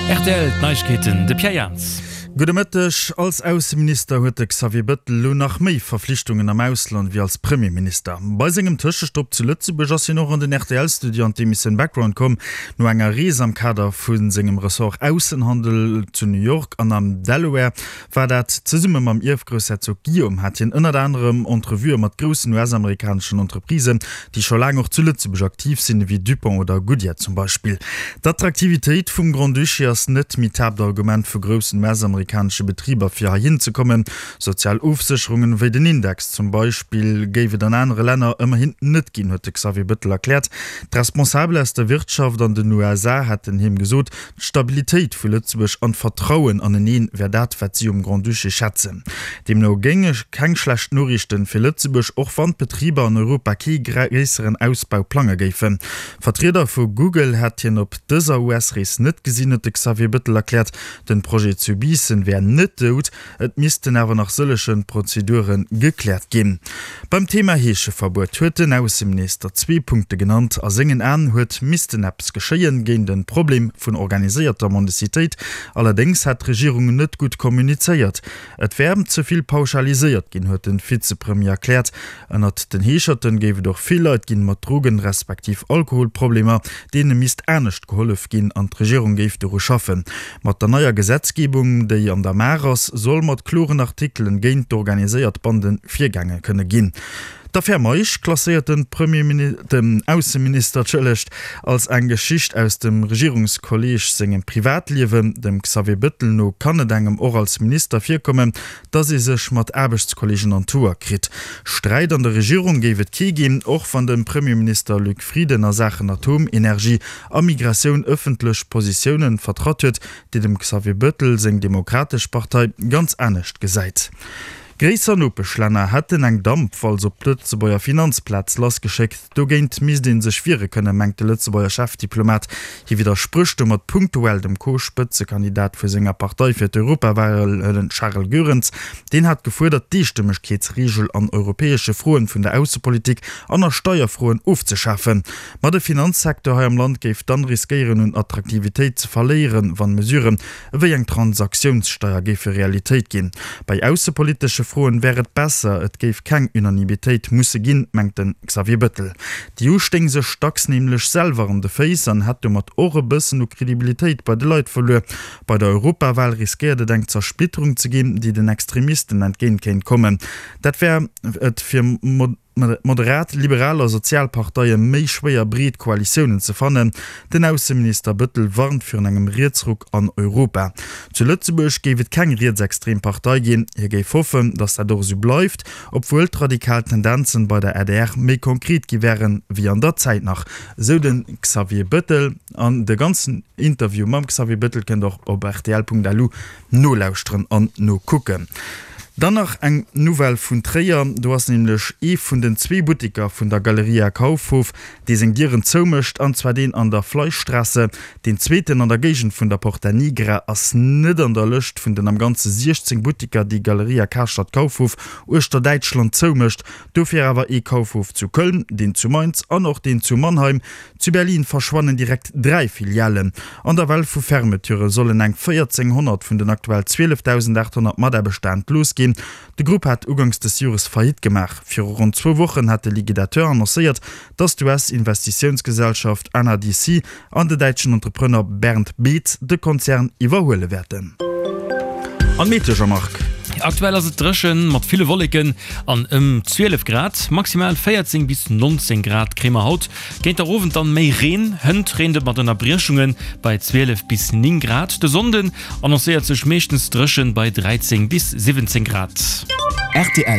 Rtl, D'Neiegkeeten, de Pierre Jans. Gudde Mëtteg. Als Ausseminister huet de Xavier Bëttel elo nach méi Verflichtungen am Ausland wéi als Premierminister. Bei sengem Tëschestopp zu Lëtzebuerg ass hien och an den RTL-Studio an d'Emissioun Background komm. No enger Rees am Kader vu sengem Ressort Aussenhandel zu New York an am Delaware war dat. Zesumme mam Ierfgroussherzog Guillaume hat hien ënnert anerem Entrevuë mat groussen US-amerikaneschen Entreprisen, déi scho laang och zu Lëtzebuerg aktiv sinn, ewéi Dupont oder Goodyear zum Beispill. D'Attraktivitéit vum Grand-Duché ass net méi d'Haaptargument vu groussen US-amerikanesche Betriber fir heihin ze kommen. Sozial Ofsécherungen, wéi den Index zum Beispill, géif et an anere Länner ëmmerhin net ginn, huet de Xavier Bëttel erkläert. D'Responsabel aus der Wirtschaft an den USA hätten him gesot, D'Stabilitéit vu Lëtzebuerg an d'Vertrauen aneneen wär dat, wat si um Grand-Duché schätzen. Deemno géinge keng schlecht Noriichten fir Lëtzebuerg, och wann d'Betriber an Europa kee gréisseren Ausbau plange géifen. Vertrieder vu Google hätt hien op dëser US-Rees net gesinn, huet de Xavier Bëttel erkläert. Den Projet zu Biissen wär net dout, Et missten awer nach sëllege Prozedure gekläert ginn. Beim Thema Heescheverbuet huet den Ausseminister zwee Punkte genannt. A sengen Aen huet missten eppes geschéien géint e Problem vun organiséierter Mendicitéit. Allerdéngs hätt d'Regierung net gutt kommunizéiert. Et wär ze vill pauschaliséiert ginn, huet de Vizepremier erkläert. Ënnert den Heescherten géif et och vill Leit ginn mat Drogen respektiv Alkoholproblemer, deene misst anescht gehollef ginn an d'Regierung géif doru schaffen. Mat der neier Gesetzgebung, déi an der Maach ass, soll mat kloren Artikelen géint d'organiséiert Banden virgaange kënne ginn. D'Affär Meisch klasséiert de den Ausseminister, tschëllegt, als eng Geschicht aus dem Regierungskolleeg sengem Privatliewen. Dem Xavier Bëttel no kann et engem och als Minister virkommen, dass ee sech mat Aarbechtskollegen an d'Hoer kritt. Sträit an der Regierung géif et kee ginn, och wann de Premierminister Luc Frieden a Saachen Atomenergie a Migratioun ëffentlech Positiounen vertratt huet, déi dem Xavier Bettel seng Demokratesch Partei ganz anescht gesäit. Gréisser Nopeschlänner hätten eng Dampwalz op d'Lëtzebuerger Finanzplaz lassgeschéckt. Dogéint misst ee sech wiere kënnen, mengt de Lëtzebuerger Chefdiplomat. Hie widdersprécht domat punktuell dem Co-Spëtzekandidat vu senger Partei fir d'Europawahlen Charel Goerens. Deen hat gefuerdert, d'Eestëmmegkeetsreegel an europäesche Froen vun der Aussepolitik an a Steierfroen ofzeschafen. Ma de Finanzsecteur hei am Land géif dann riskéieren un Attraktivitéit ze verléieren, wann Mesuren ewéi eng Transaktiounssteier géife Realitéit ginn. Bei aussepolitesche Froen wär et besser, et géif keng Unanimitéit musse ginn, mengt de Xavier Bëttel. D'EU stéing sech dacks nämlech selwer an de Féiss an hätt domat och e bëssen u Kredibilitéit bei de Leit verluer. Bei der Europawal riskéiert et eng Zersplitterung ze ginn, déi den Extremisten entgéint kéint kommen. Dat wär et fir. Moderat, liberal a sozial Parteie méi schwéier breet Koalitiounen ze fannen. Den Ausseminister Bëttel warnt virun engem Rietsruck an Europa. Zu Lëtzebuerg géif et keng rietsextrem Partei ginn. Hie géif hoffen, datt dat och esou bleift, obwuel d'radikal Tendenzen bei der adr méi konkret gi wären, wéi an der Zäit nach, esou de Xavier Bëttel. An de ganzen Interview mam Xavier Bëttel kënnt der och op rtl.lu Nolauschteren an nokucken. Dann nach eng Nouvelle vun Tréier, Do ass nämlech ee vun den zwee Buttiker vun der Galeria Kaufhof, dee seng Dieren zoumécht, an zwar deen an der Fleischstrasse. Deen zweeten an der Géigend vun der Porta Nigra ass net an der Lëscht vun den am Ganze 16 Buttiker, déi Galeria Karstadt Kaufhof uechter Däitschland zoumécht. Dofir awer ee Kaufhof zu Köln, deen zu Mainz an och deen zu Mannheim. Zu Berlin verschwannen direkt 3 Filialen. An der Well vu Fermeturë sollen eng 1.400 vun den aktuell 12.800 Mataarbechter entlooss ginn. De Grupp hat uganks des Jores Faillite gemaach. Viru ronn zwou Wochen hat de Liquidateur annoncéiert, datt d'US-Investitiounsgesellschaft NRDC an de däitschen Entrepreneur Bernd Beetz de Konzern iwwerhuele wäerten. An d'Meteo, Jean-Marc? Aktuell ass et dréchen mat ville Wolleken an ëm 12 Grad, maximal 14 bis 19 Grad kréie mer haut. Géint der Owend dann méi Reen, hënt reent et mat Ënnerbriechunge bei 12 bis 9 Grad. De Sonnden annoncéiert sech meeschtens dréchen bei 13 bis 17 Grad. Rtl.